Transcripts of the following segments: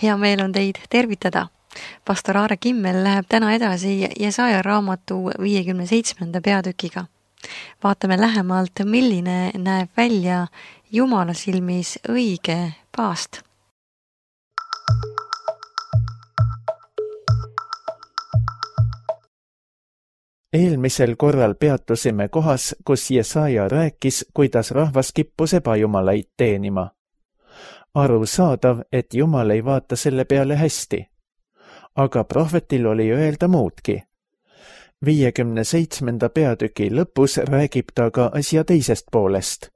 Hea meel on teid tervitada. Pastor Aare Kimmel läheb täna edasi Jesaja raamatu 57. peatükiga. Vaatame lähemalt, milline näeb välja Jumala silmis õige paast. Eelmisel korral peatusime kohas, kus Jesaja rääkis, kuidas rahvas kippus ebajumalaid teenima. Arusaadav, et Jumal ei vaata selle peale hästi. Aga prohvetil oli öelda muudki. 57. peatüki lõpus räägib ta ka asja teisest poolest.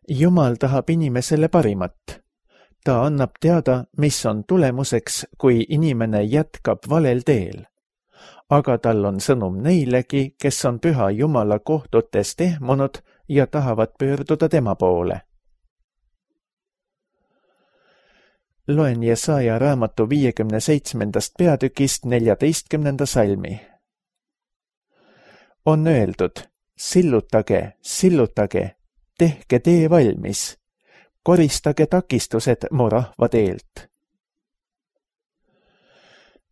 Jumal tahab inimesele parimat. Ta annab teada, mis on tulemuseks, kui inimene jätkab valel teel. Aga tal on sõnum neilegi, kes on püha Jumala kohtutest ehmunud ja tahavad pöörduda tema poole. Loen Jesaja raamatu 57. peatükist 14. salmi. On öeldud, sillutage, tehke tee valmis, koristage takistused mu rahva teelt.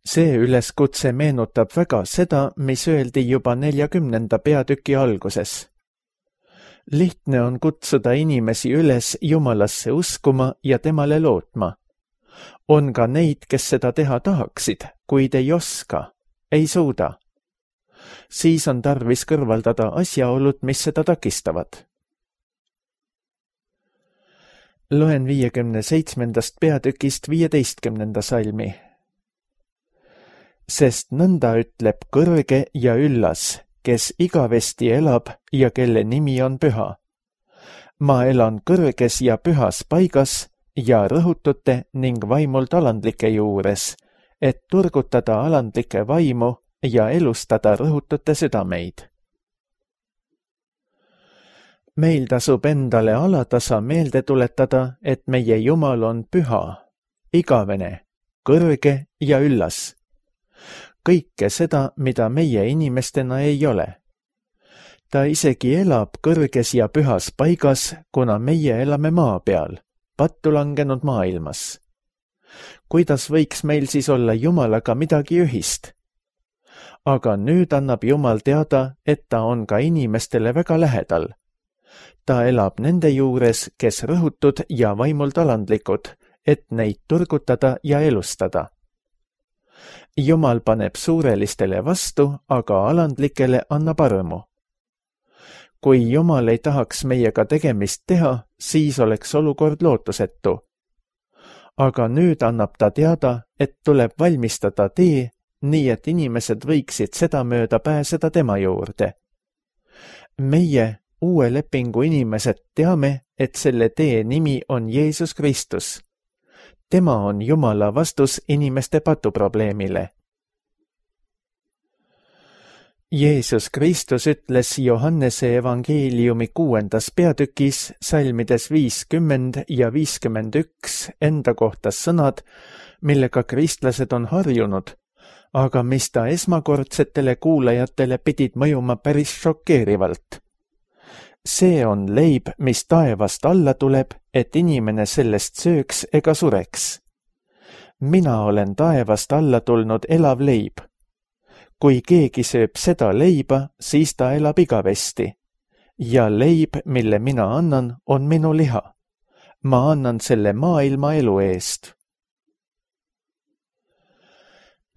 See üleskutse meenutab väga seda, mis öeldi juba 40. peatüki alguses. Lihtne on kutsuda inimesi üles Jumalasse uskuma ja temale lootma. On ka neid, kes seda teha tahaksid, kuid ei oska, ei suuda. Siis on tarvis kõrvaldada asjaolud, mis seda takistavad. Loen 57. peatükist 15. salmi. Sest nõnda ütleb kõrge ja üllas, kes igavesti elab ja kelle nimi on püha. Ma elan kõrges ja pühas paigas ja rõhutute ning vaimult alandlike juures, et turgutada alandlike vaimu ja elustada rõhutute südameid. Meil tasub endale alatasa meelde tuletada, et meie Jumal on püha, igavene, kõrge ja üllas. Kõike seda, mida meie inimestena ei ole. Ta isegi elab kõrges ja pühas paigas, kuna meie elame maa peal, pattu langenud maailmas. Kuidas võiks meil siis olla Jumalaga midagi ühist? Aga nüüd annab Jumal teada, et ta on ka inimestele väga lähedal. Ta elab nende juures, kes rõhutud ja vaimult alandlikud, et neid turgutada ja elustada. Jumal paneb suurelistele vastu, aga alandlikele annab armu. Kui Jumal ei tahaks meiega tegemist teha, siis oleks olukord lootusetu. Aga nüüd annab ta teada, et tuleb valmistada tee, nii et inimesed võiksid seda mööda pääseda tema juurde. Meie, uue lepingu inimesed, teame, et selle tee nimi on Jeesus Kristus. Tema on Jumala vastus inimeste patuprobleemile. Jeesus Kristus ütles Johannese evangeeliumi 6. peatükis salmides 50 ja 51 enda kohta sõnad, millega kristlased on harjunud, aga mis ta esmakordsetele kuulajatele pidid mõjuma päris šokeerivalt. See on leib, mis taevast alla tuleb, et inimene sellest sööks ega sureks. Mina olen taevast alla tulnud elav leib. Kui keegi sööb seda leiba, siis ta elab igavesti. Ja leib, mille mina annan, on minu liha. Ma annan selle maailma elu eest.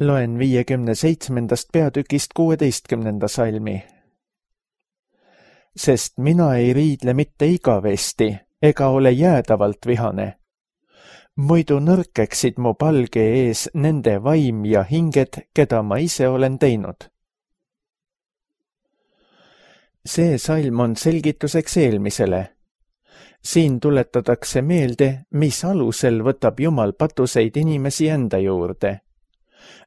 Loen 57. peatükist 16. salmi. Sest mina ei riidle mitte igavesti ega ole jäädavalt vihane. Muidu nõrkeksid mu palge ees nende vaim ja hinged, keda ma ise olen teinud. See salm on selgituseks eelmisele. Siin tuletatakse meelde, mis alusel võtab Jumal patuseid inimesi enda juurde.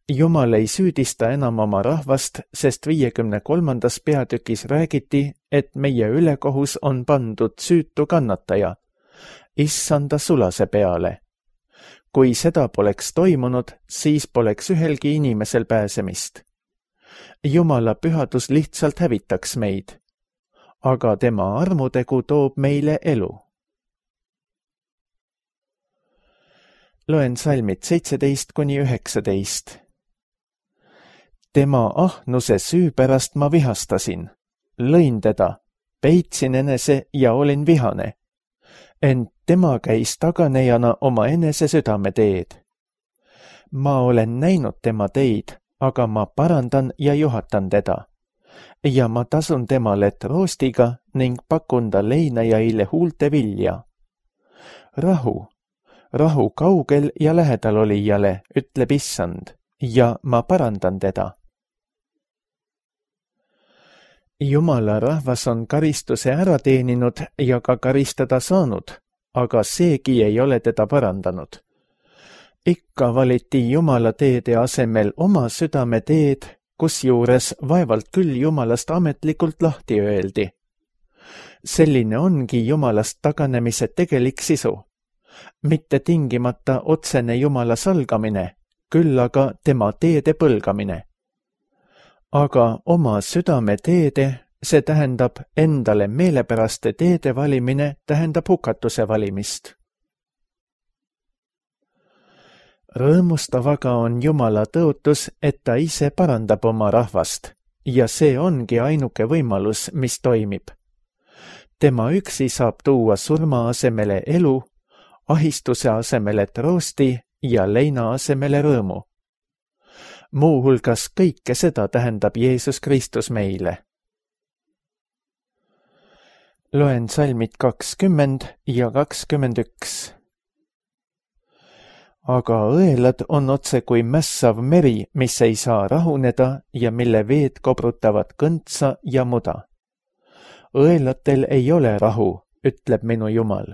Jumal ei süüdista enam oma rahvast, sest 53. peatükis räägiti, et meie ülekohus on pandud süütu kannataja, issanda sulase peale. Kui seda poleks toimunud, siis poleks ühelgi inimesel pääsemist. Jumala pühadus lihtsalt hävitaks meid, aga tema armutegu toob meile elu. Loen salmid 17–19. Tema ahnuse süü pärast ma vihastasin, lõin teda, peitsin enese ja olin vihane. Ent tema käis taganejana oma enese südameteed. Ma olen näinud tema teid, aga ma parandan ja juhatan teda. Ja ma tasun temale troostiga ning pakun ta leinajaile huulte vilja. Rahu kaugel ja lähedal olijale, ütleb Issand, ja ma parandan teda. Jumala rahvas on karistuse ära teeninud ja ka karistada saanud, aga seegi ei ole teda parandanud. Ikka valiti Jumala teede asemel oma südame teed, kusjuures vaevalt küll Jumalast ametlikult lahti öeldi. Selline ongi Jumalast taganemise tegelik sisu. Mitte tingimata otsene Jumala salgamine, küll aga tema teede põlgamine. Aga oma südame teede, see tähendab endale meelepäraste teede valimine, tähendab hukatuse valimist. Rõõmustav aga on Jumala tõotus, et ta ise parandab oma rahvast ja see ongi ainuke võimalus, mis toimib. Tema üksi saab tuua surma asemele elu, ahistuse asemele troosti ja leina asemele rõõmu. Muuhulgas kõike seda tähendab Jeesus Kristus meile. Loen salmid 20 ja 21. Aga õelad on otse kui mässav meri, mis ei saa rahuneda ja mille veed kobrutavad kõntsa ja muda. Õelatel ei ole rahu, ütleb minu Jumal.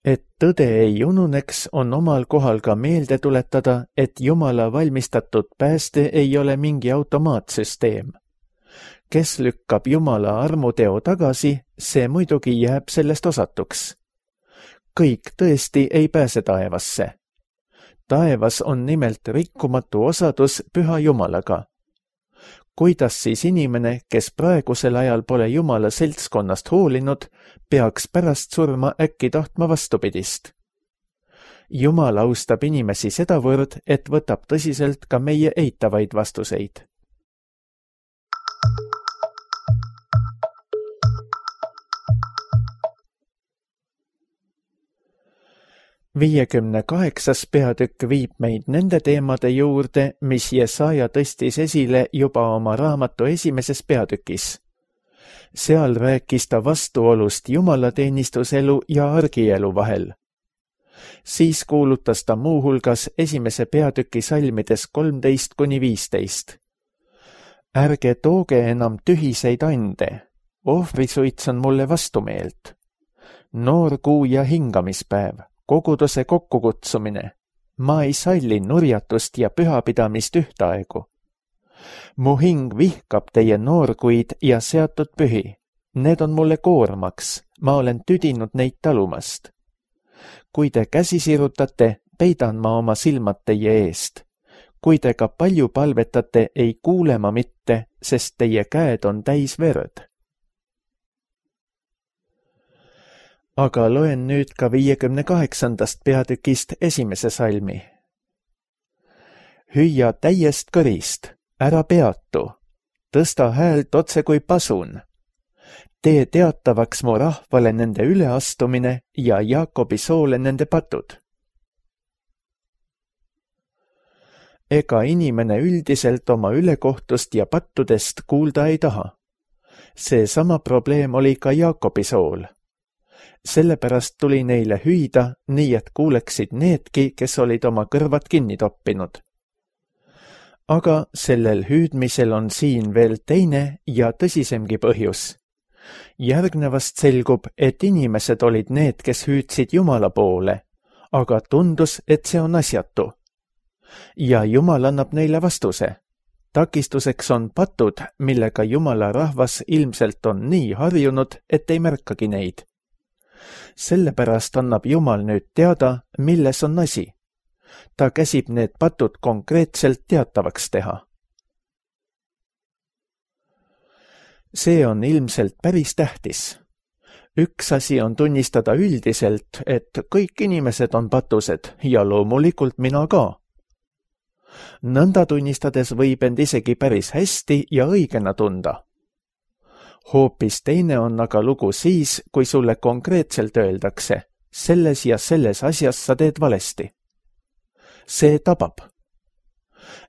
Et tõde ei ununeks, on omal kohal ka meelde tuletada, et Jumala valmistatud pääste ei ole mingi automaatsüsteem. Kes lükkab Jumala armuteo tagasi, see muidugi jääb sellest osatuks. Kõik tõesti ei pääse taevasse. Taevas on nimelt rikkumatu osadus püha Jumalaga. Kuidas siis inimene, kes praegusel ajal pole Jumala seltskonnast hoolinud, peaks pärast surma äkki tahtma vastupidist? Jumal austab inimesi sedavõrd, et võtab tõsiselt ka meie eitavaid vastuseid. Viiekümne 8. peatükk viib meid nende teemade juurde, mis Jesaja tõstis esile juba oma raamatu 1. peatükis. Seal rääkis ta vastuolust jumalateenistuselu ja argielu vahel. Siis kuulutas ta muuhulgas 1. peatüki salmides 13–15. Ärge tooge enam tühiseid ande, ohvrisuits on mulle vastumeelt. Noor kuu ja hingamispäev, koguduse kokkukutsumine. Ma ei salli nurjatust ja pühapidamist ühtaegu. Mu hing vihkab teie noorkuid ja seatud pühi. Need on mulle koormaks, ma olen tüdinud neid talumast. Kui te käsi sirutate, peidan ma oma silmad teie eest. Kui te ka palju palvetate, ei kuule ma mitte, sest teie käed on täis verd. Aga loen nüüd ka 58. peatükist 1. salmi. Hüüa täiest kõrist, ära peatu, tõsta häält otse kui pasun. Tee teatavaks mu rahvale nende üleastumine ja Jaakobi soole nende patud. Ega inimene üldiselt oma ülekohtust ja pattudest kuulda ei taha. See sama probleem oli ka Jaakobi sool. Sellepärast tuli neile hüüda, nii et kuuleksid needki, kes olid oma kõrvad kinni toppinud. Aga sellel hüüdmisel on siin veel teine ja tõsisemgi põhjus. Järgnevast selgub, et inimesed olid need, kes hüüdsid Jumala poole, aga tundus, et see on asjatu. Ja Jumal annab neile vastuse. Takistuseks on patud, millega Jumala rahvas ilmselt on nii harjunud, et ei märkagi neid. Sellepärast annab Jumal nüüd teada, milles on asi. Ta käsib need patud konkreetselt teatavaks teha. See on ilmselt päris tähtis. Üks asi on tunnistada üldiselt, et kõik inimesed on patused ja loomulikult mina ka. Nõnda tunnistades võib end isegi päris hästi ja õigena tunda. Hoopis teine on aga lugu siis, kui sulle konkreetselt öeldakse, selles ja selles asjas sa teed valesti. See tabab.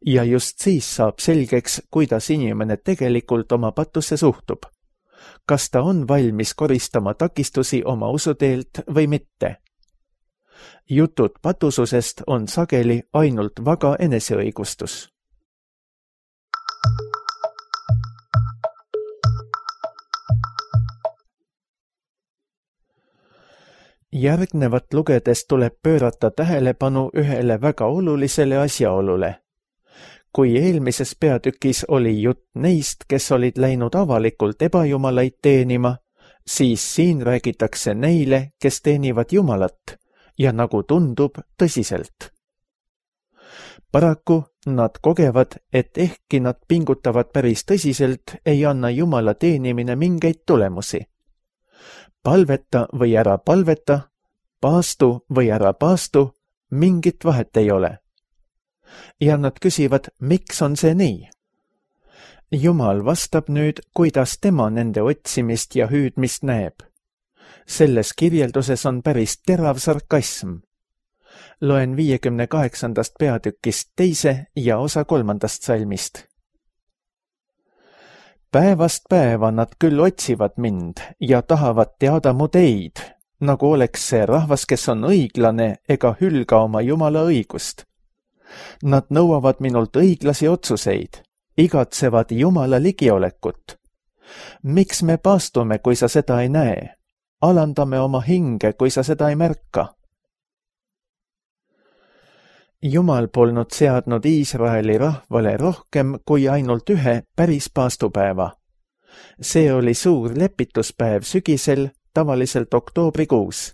Ja just siis saab selgeks, kuidas inimene tegelikult oma patusse suhtub. Kas ta on valmis koristama takistusi oma usuteelt või mitte. Jutud patususest on sageli ainult vaga eneseõigustus. Järgnevat lugedes tuleb pöörata tähelepanu ühele väga olulisele asjaolule. Kui eelmises peatükis oli jutt neist, kes olid läinud avalikult ebajumalaid teenima, siis siin räägitakse neile, kes teenivad Jumalat ja nagu tundub tõsiselt. Paraku nad kogevad, et ehkki nad pingutavad päris tõsiselt, ei anna Jumala teenimine mingeid tulemusi. Palveta või ära palveta, paastu või ära paastu, mingit vahet ei ole. Ja nad küsivad, miks on see nii? Jumal vastab nüüd, kuidas tema nende otsimist ja hüüdmist näeb. Selles kirjelduses on päris terav sarkasm. Loen 58. peatükist 2. ja osa 3. salmist. Päevast päeva nad küll otsivad mind ja tahavad teada mu teid, nagu oleks see rahvas, kes on õiglane ega hülga oma Jumala õigust. Nad nõuavad minult õiglasi otsuseid, igatsevad Jumala ligiolekut. Miks me paastume, kui sa seda ei näe? Alandame oma hinge, kui sa seda ei märka. Jumal polnud seadnud Iisraeli rahvale rohkem kui ainult ühe päris paastupäeva. See oli suur lepituspäev sügisel, tavaliselt oktoobrikuus.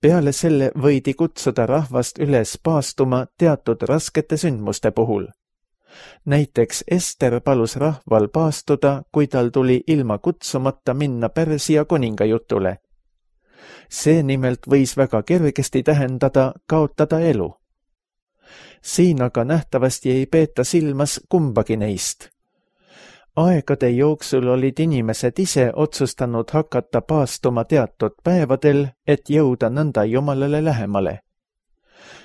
Peale selle võidi kutsuda rahvast üles paastuma teatud raskete sündmuste puhul. Näiteks Ester palus rahval paastuda, kui tal tuli ilma kutsumata minna Pärsia kuninga jutule. See nimelt võis väga kergesti tähendada kaotada elu. Siin aga nähtavasti ei peeta silmas kumbagi neist. Aegade jooksul olid inimesed ise otsustanud hakata paastuma teatud päevadel, et jõuda nõnda Jumalale lähemale.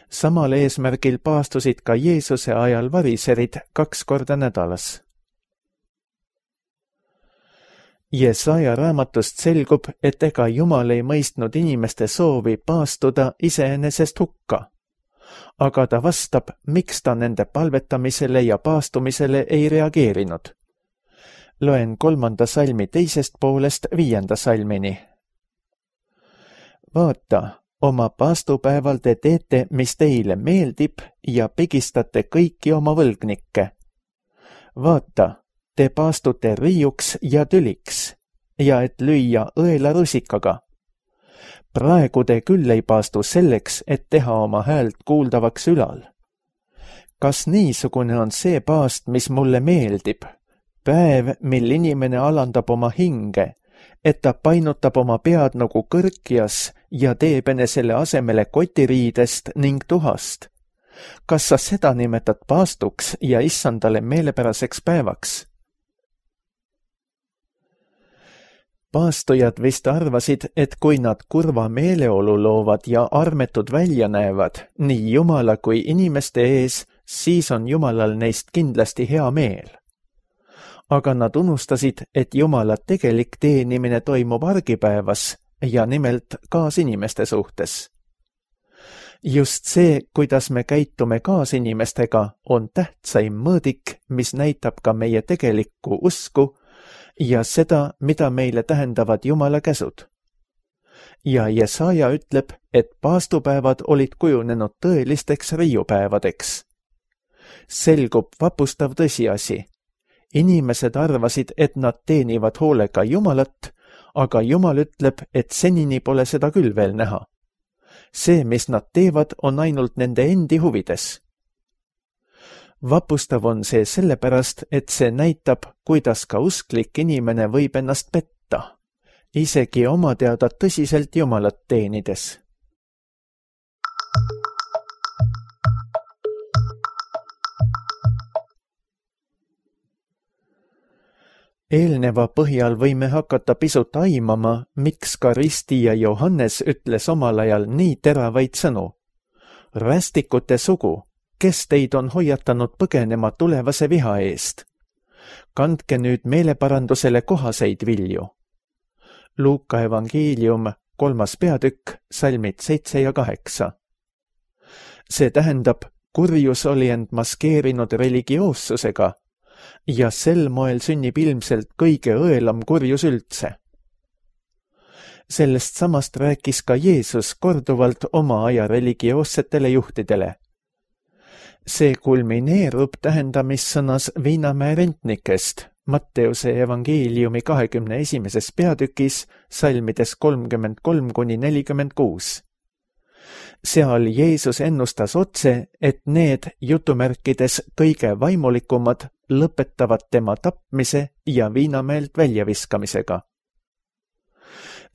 Samal eesmärgil paastusid ka Jeesuse ajal variserid 2 korda nädalas. Jesaja raamatust selgub, et ega Jumal ei mõistnud inimeste soovi paastuda iseenesest hukka. Aga ta vastab, miks ta nende palvetamisele ja paastumisele ei reageerinud. Loen 3. salmi 2. poolest 5. salmini. Vaata, oma paastupäeval te teete, mis teile meeldib ja pigistate kõiki oma võlgnikke. Vaata, te paastute riiuks ja tüliks ja et lüüa õela rusikaga. Praegu te küll ei paastu selleks, et teha oma häält kuuldavaks ülal. Kas niisugune on see paast, mis mulle meeldib? Päev, mil inimene alandab oma hinge, et ta painutab oma pead nagu kõrkjas ja teeb enesele asemele kotiriidest ning tuhast. Kas sa seda nimetad paastuks ja issandale meelepäraseks päevaks? Paastujad vist arvasid, et kui nad kurva meeleolu loovad ja armetud välja näevad nii Jumala kui inimeste ees, siis on Jumalal neist kindlasti hea meel. Aga nad unustasid, et Jumala tegelik teenimine toimub argipäevas ja nimelt kaasinimeste suhtes. Just see, kuidas me käitume kaasinimestega, on tähtsaim mõõdik, mis näitab ka meie tegelikku usku ja seda, mida meile tähendavad Jumala käsud. Ja Jesaja ütleb, et paastupäevad olid kujunenud tõelisteks riiupäevadeks. Selgub vapustav tõsiasi. Inimesed arvasid, et nad teenivad hoolega Jumalat, aga Jumal ütleb, et senini pole seda küll veel näha. See, mis nad teevad, on ainult nende endi huvides. Vapustav on see sellepärast, et see näitab, kuidas ka usklik inimene võib ennast petta. isegi oma teada tõsiselt Jumalat teenides. Eelneva põhjal võime hakata pisut aimama, miks ka ristija Johannes ütles omal ajal nii teravaid sõnu. Rästikute sugu, kes teid on hoiatanud põgenema tulevase viha eest? Kandke nüüd meeleparandusele kohaseid vilju. Luuka evangeelium, 3. peatükk, salmid 7 ja 8. See tähendab, kurjus oli end maskeerinud religioossusega ja sel moel sünnib ilmselt kõige õelam kurjus üldse. Sellest samast rääkis ka Jeesus korduvalt oma aja religioossetele juhtidele. See kulmineerub tähendamissõnas Viinamäe rentnikest, Matteuse evangeeliumi 21. peatükis, salmides 33–46. Seal Jeesus ennustas otse, et need jutumärkides kõige vaimulikumad lõpetavad tema tapmise ja Viinamäelt väljaviskamisega.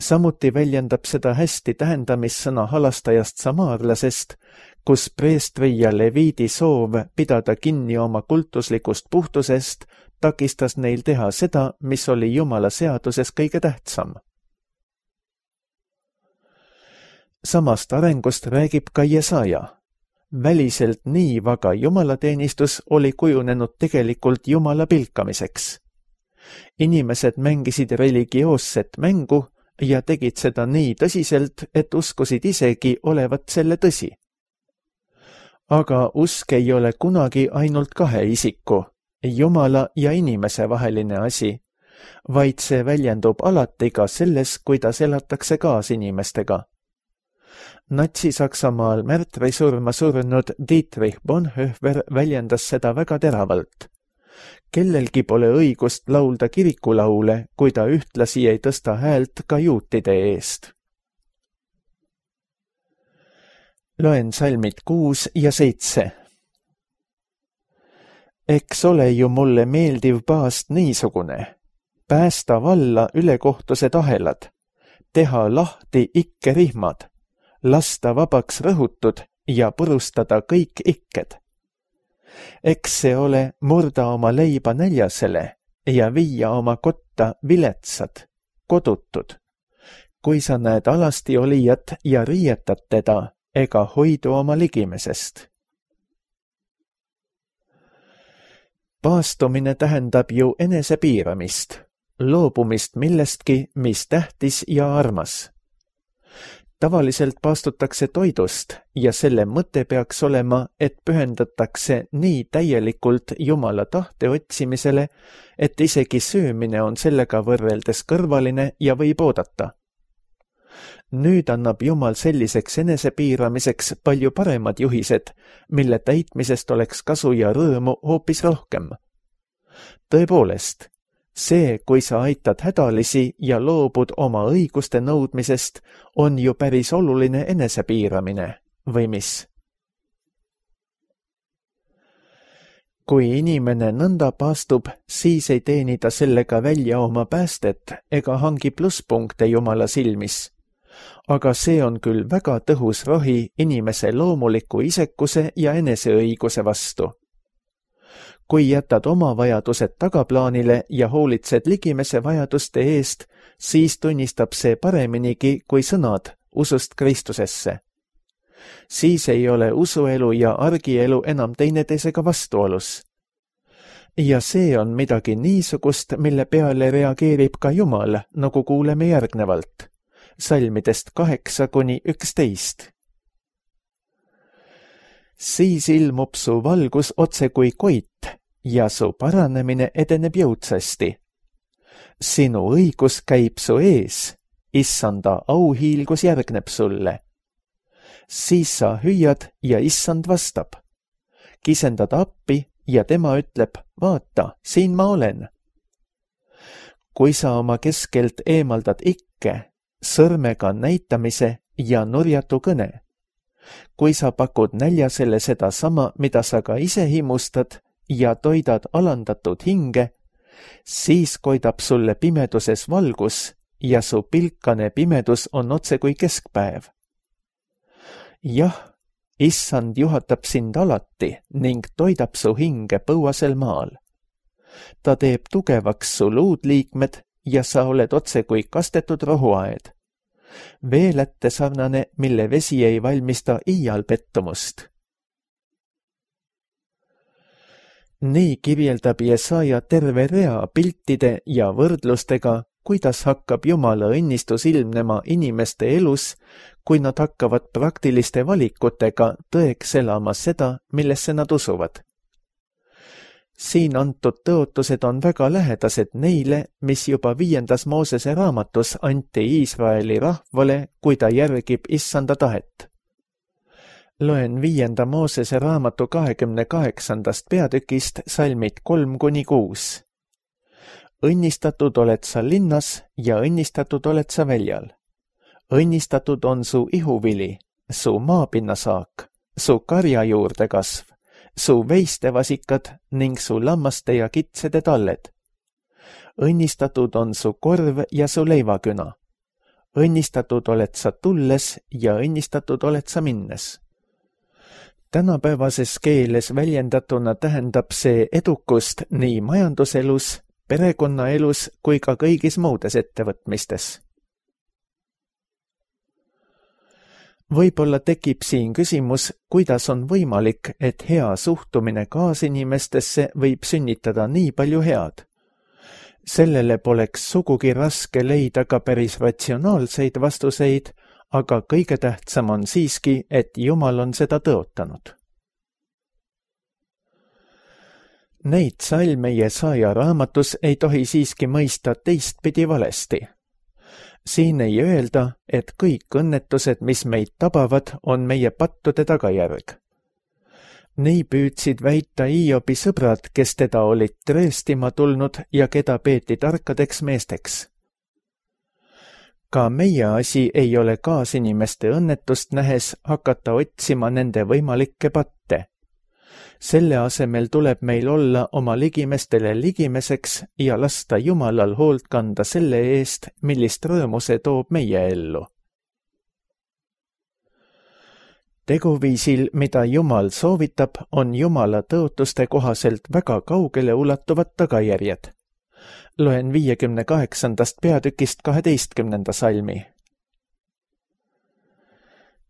Samuti väljendab seda hästi tähendamissõna halastajast samaarlasest, kus preestri ja leviidi soov pidada kinni oma kultuslikust puhtusest takistas neil teha seda, mis oli Jumala seaduses kõige tähtsam. Samast arengust räägib ka Jesaja. Väliselt nii vaga jumalateenistus oli kujunenud tegelikult Jumala pilkamiseks. Inimesed mängisid religioosset mängu ja tegid seda nii tõsiselt, et uskusid isegi olevat selle tõsi. Aga usk ei ole kunagi ainult kahe isiku, Jumala ja inimese vaheline asi, vaid see väljendub alati ka selles, kuidas elatakse kaasinimestega. Natsi-Saksamaal märtrisurma surnud Dietrich Bonhoeffer väljendas seda väga teravalt. Kellelgi pole õigust laulda kirikulaule, kui ta ühtlasi ei tõsta häält ka juutide eest. Loen salmid 6 ja 7. Eks ole ju mulle meeldiv paast niisugune. Päästa valla ülekohtused ahelad, teha lahti ikkerihmad, lasta vabaks rõhutud ja purustada kõik ikked. Eks see ole murda oma leiba näljasele ja viia oma kotta viletsad, kodutud. Kui sa näed alasti olijat ja riietad teda, ega hoidu oma ligimesest. Paastumine tähendab ju enesepiiramist, loobumist millestki, mis tähtis ja armas. Tavaliselt paastutakse toidust ja selle mõte peaks olema, et pühendatakse nii täielikult Jumala tahte otsimisele, et isegi söömine on sellega võrreldes kõrvaline ja võib oodata. Nüüd annab Jumal selliseks enesepiiramiseks palju paremad juhised, mille täitmisest oleks kasu ja rõõmu hoopis rohkem. Tõepoolest, see, kui sa aitad hädalisi ja loobud oma õiguste nõudmisest, on ju päris oluline enesepiiramine, või mis? Kui inimene nõnda paastub, siis ei teeni ta sellega välja oma päästet ega hangi plusspunkte Jumala silmis. Aga see on küll väga tõhus rohi inimese loomuliku isekuse ja eneseõiguse vastu. Kui jätad oma vajadused tagaplaanile ja hoolitsed ligimese vajaduste eest, siis tunnistab see pareminigi kui sõnad usust Kristusesse. Siis ei ole usuelu ja argielu enam teineteisega vastuolus. Ja see on midagi niisugust, mille peale reageerib ka Jumal, nagu kuuleme järgnevalt. Salmidest 8–11. Siis ilmub su valgus otse kui koit ja su paranemine edeneb jõudsasti. Sinu õigus käib su ees, issanda auhiilgus järgneb sulle. Siis sa hüüad ja issand vastab. Kisendad appi ja tema ütleb, vaata, siin ma olen. Kui sa oma keskelt eemaldad ikke, sõrmega näitamise ja nurjatu kõne. Kui sa pakud näljasele seda sama, mida sa ka ise himustad ja toidad alandatud hinge, siis koidab sulle pimeduses valgus ja su pilkane pimedus on otse kui keskpäev. Jah, Issand juhatab sind alati ning toidab su hinge põuasel maal. Ta teeb tugevaks su luudliikmed ja sa oled otse kui kastetud rohuaed. Veelätte sarnane, mille vesi ei valmista iial pettumust. Nii kirjeldab Jesaja terve rea piltide ja võrdlustega, kuidas hakkab Jumala õnnistus ilmnema inimeste elus, kui nad hakkavad praktiliste valikutega tõeks elama seda, millesse nad usuvad. Siin antud tõotused on väga lähedased neile, mis juba 5. Moosese raamatus anti Iisraeli rahvale, kui ta järgib Issanda tahet. Loen 5. Moosese raamatu 28. peatükist salmid 3-6. Õnnistatud oled sa linnas ja õnnistatud oled sa väljal. Õnnistatud on su ihuvili, su maapinnasaak, su karja juurde kasv, su veistevasikad ning su lammaste ja kitsede talled. Õnnistatud on su korv ja su leivaküna. Õnnistatud oled sa tulles ja õnnistatud oled sa minnes. Tänapäevases keeles väljendatuna tähendab see edukust nii majanduselus, perekonnaelus kui ka kõigis muudes ettevõtmistes. Võib-olla tekib siin küsimus, kuidas on võimalik, et hea suhtumine kaasinimestesse võib sünnitada nii palju head. Sellele poleks sugugi raske leida ka päris ratsionaalseid vastuseid, aga kõige tähtsam on siiski, et Jumal on seda tõotanud. Neid salme Jesaja raamatus ei tohi siiski mõista teistpidi valesti. Siin ei öelda, et kõik õnnetused, mis meid tabavad, on meie pattude tagajärg. Nii püüdsid väita Hiobi sõbrad, kes teda olid tõestima tulnud ja keda peeti tarkadeks meesteks. Ka meie asi ei ole kaasinimeste õnnetust nähes hakata otsima nende võimalikke patte. Selle asemel tuleb meil olla oma ligimestele ligimeseks ja lasta Jumalal hoolt kanda selle eest, millist rõõmu see toob meie ellu. Teguviisil, mida Jumal soovitab, on Jumala tõotuste kohaselt väga kaugele ulatuvad tagajärjed. Loen 58. peatükist 12. salmi.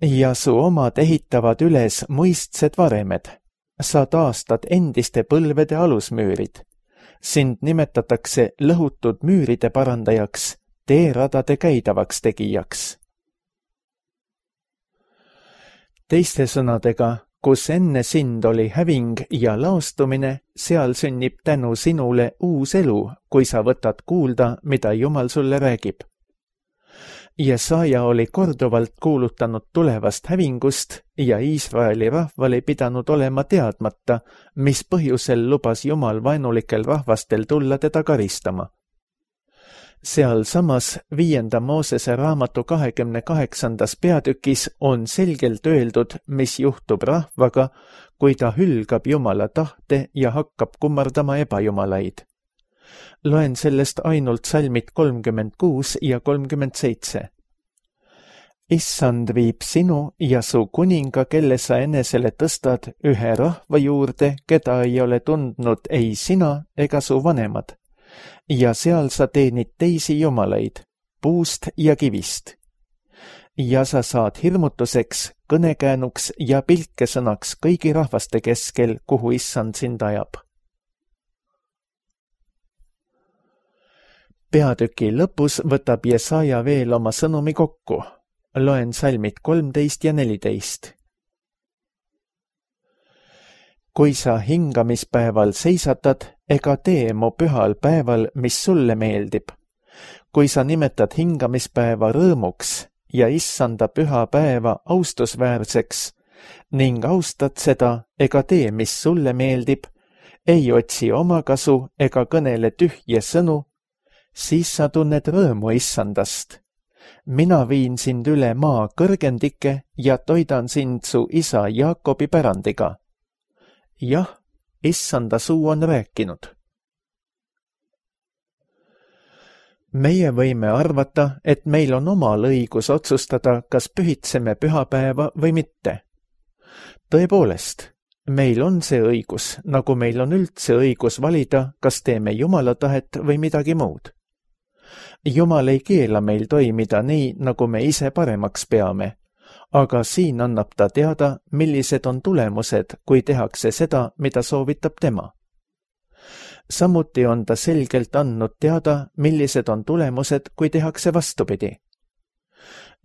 Ja su omad ehitavad üles muistsed varemed. Sa taastad endiste põlvede alusmüürid. Sind nimetatakse lõhutud müüride parandajaks, teeradade käidavaks tegijaks. Teiste sõnadega, kus enne sind oli häving ja laostumine, seal sünnib tänu sinule uus elu, kui sa võtad kuulda, mida Jumal sulle räägib. Jesaja oli korduvalt kuulutanud tulevast hävingust ja Iisraeli rahval ei pidanud olema teadmata, mis põhjusel lubas Jumal vaenulikel rahvastel tulla teda karistama. Seal samas 5. Moosese raamatu 28. peatükis on selgelt öeldud, mis juhtub rahvaga, kui ta hülgab Jumala tahte ja hakkab kummardama ebajumalaid. Loen sellest ainult salmid 36 ja 37. Issand viib sinu ja su kuninga, kelle sa enesele tõstad, ühe rahva juurde, keda ei ole tundnud ei sina ega su vanemad. Ja seal sa teenid teisi jumalaid, puust ja kivist. Ja sa saad hirmutuseks, kõnekäänuks ja pilkesõnaks kõigi rahvaste keskel, kuhu Issand sind ajab. Peatüki lõpus võtab Jesaja veel oma sõnumi kokku. Loen salmid 13 ja 14. Kui sa hingamispäeval seisatad, ega tee mu pühal päeval, mis sulle meeldib. Kui sa nimetad hingamispäeva rõõmuks ja Issanda püha päeva austusväärseks ning austad seda, ega tee, mis sulle meeldib, ei otsi omakasu ega kõnele tühje sõnu, siis sa tunned rõõmu Issandast. Mina viin sind üle maa kõrgendike ja toidan sind su isa Jaakobi pärandiga. Jah, Issanda suu on rääkinud. Meie võime arvata, et meil on omal õigus otsustada, kas pühitseme pühapäeva või mitte. Tõepoolest, meil on see õigus, nagu meil on üldse õigus valida, kas teeme Jumala tahet või midagi muud. Jumal ei keela meil toimida nii, nagu me ise paremaks peame, aga siin annab ta teada, millised on tulemused, kui tehakse seda, mida soovitab tema. Samuti on ta selgelt andnud teada, millised on tulemused, kui tehakse vastupidi.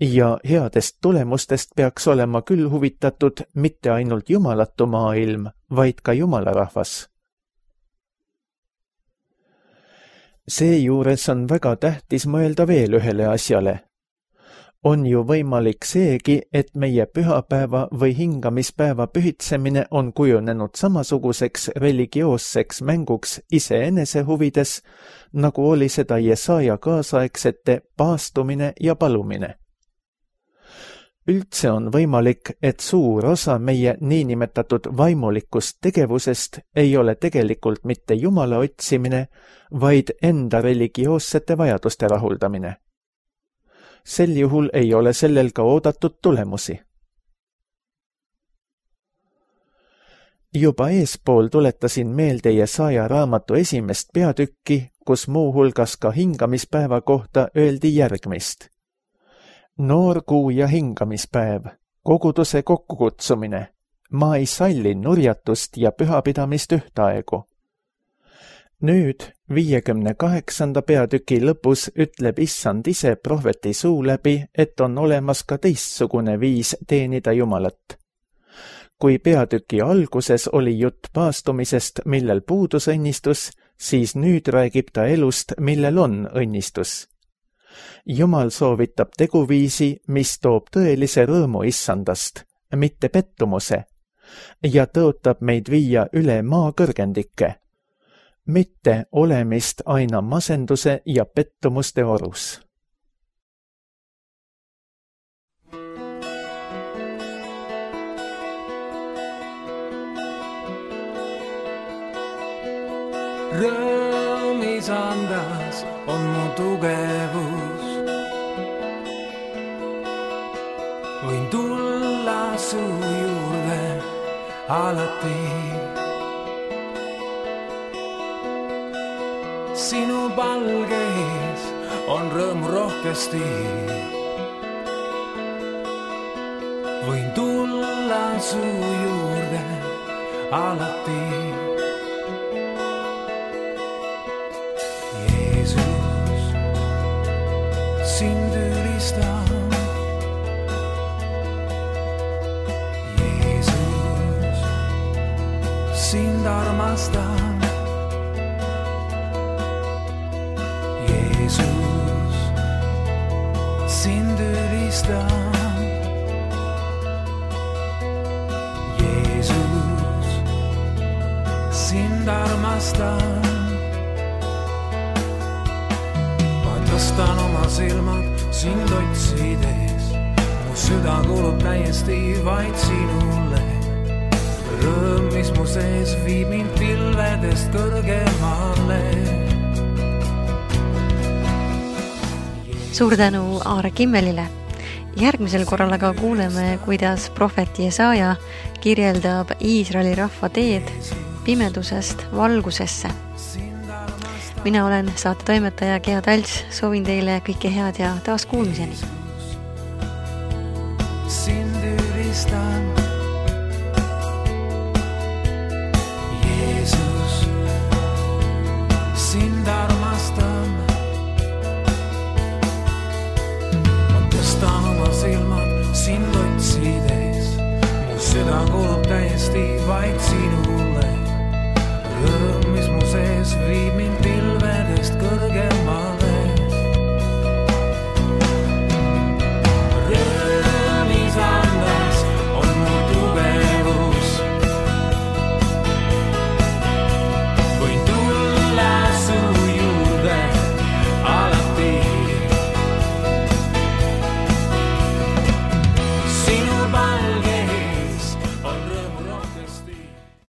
Ja headest tulemustest peaks olema küll huvitatud mitte ainult jumalatu maailm, vaid ka Jumala rahvas. Seejuures on väga tähtis mõelda veel ühele asjale. On ju võimalik seegi, et meie pühapäeva või hingamispäeva pühitsemine on kujunenud samasuguseks religioosseks mänguks iseenese huvides, nagu oli seda Jesaja kaasaegsete paastumine ja palumine. Üldse on võimalik, et suur osa meie niinimetatud vaimulikust tegevusest ei ole tegelikult mitte Jumala otsimine, vaid enda religioossete vajaduste rahuldamine. Sel juhul ei ole sellel ka oodatud tulemusi. Juba eespool tuletasin meelde Jesaja raamatu 1. peatükki, kus muuhulgas ka hingamispäeva kohta öeldi järgmist. Noor kuu ja hingamispäev, koguduse kokkukutsumine, ma ei salli nurjatust ja pühapidamist ühtaegu. Nüüd 58. peatüki lõpus ütleb Issand ise prohveti suu läbi, et on olemas ka teistsugune viis teenida Jumalat. Kui peatüki alguses oli jutt paastumisest, millel puudus õnnistus, siis nüüd räägib ta elust, millel on õnnistus. Jumal soovitab teguviisi, mis toob tõelise rõõmu Issandast, mitte pettumuse, ja tõotab meid viia üle maa kõrgendike, mitte olemist aina masenduse ja pettumuste orus. Rõõm Isandas on mu tugevus. Võin tulla su juurde alati. Sinu palgeis on rõõmu rohkesti. Võin tulla su juurde alati. Jeesus, sind ülistan. Jeesus, sind armastan. Jeesus, sind ülistan. Jeesus, sind armastan. Ma tõstan oma silmad sind otsides. Mu süda kuulub täiesti vaid sinule. Rõõm, mis mu sees viib mind pilvedest kõrgemale. Suur tänu Aare Kimmelile. Järgmisel korral aga kuuleme, kuidas prohvet Jesaja kirjeldab Iisraeli rahva teed pimedusest valgusesse. Mina olen saatetoimetaja Gea Talts, soovin teile kõike head ja taas kuulmiseni. Sind ülistan. Jeesus, sind armastan. Ma tõstan oma silmad sind otsides. Mu süda kuulub täiesti vaid sinule. Rõõm, mis mu sees viib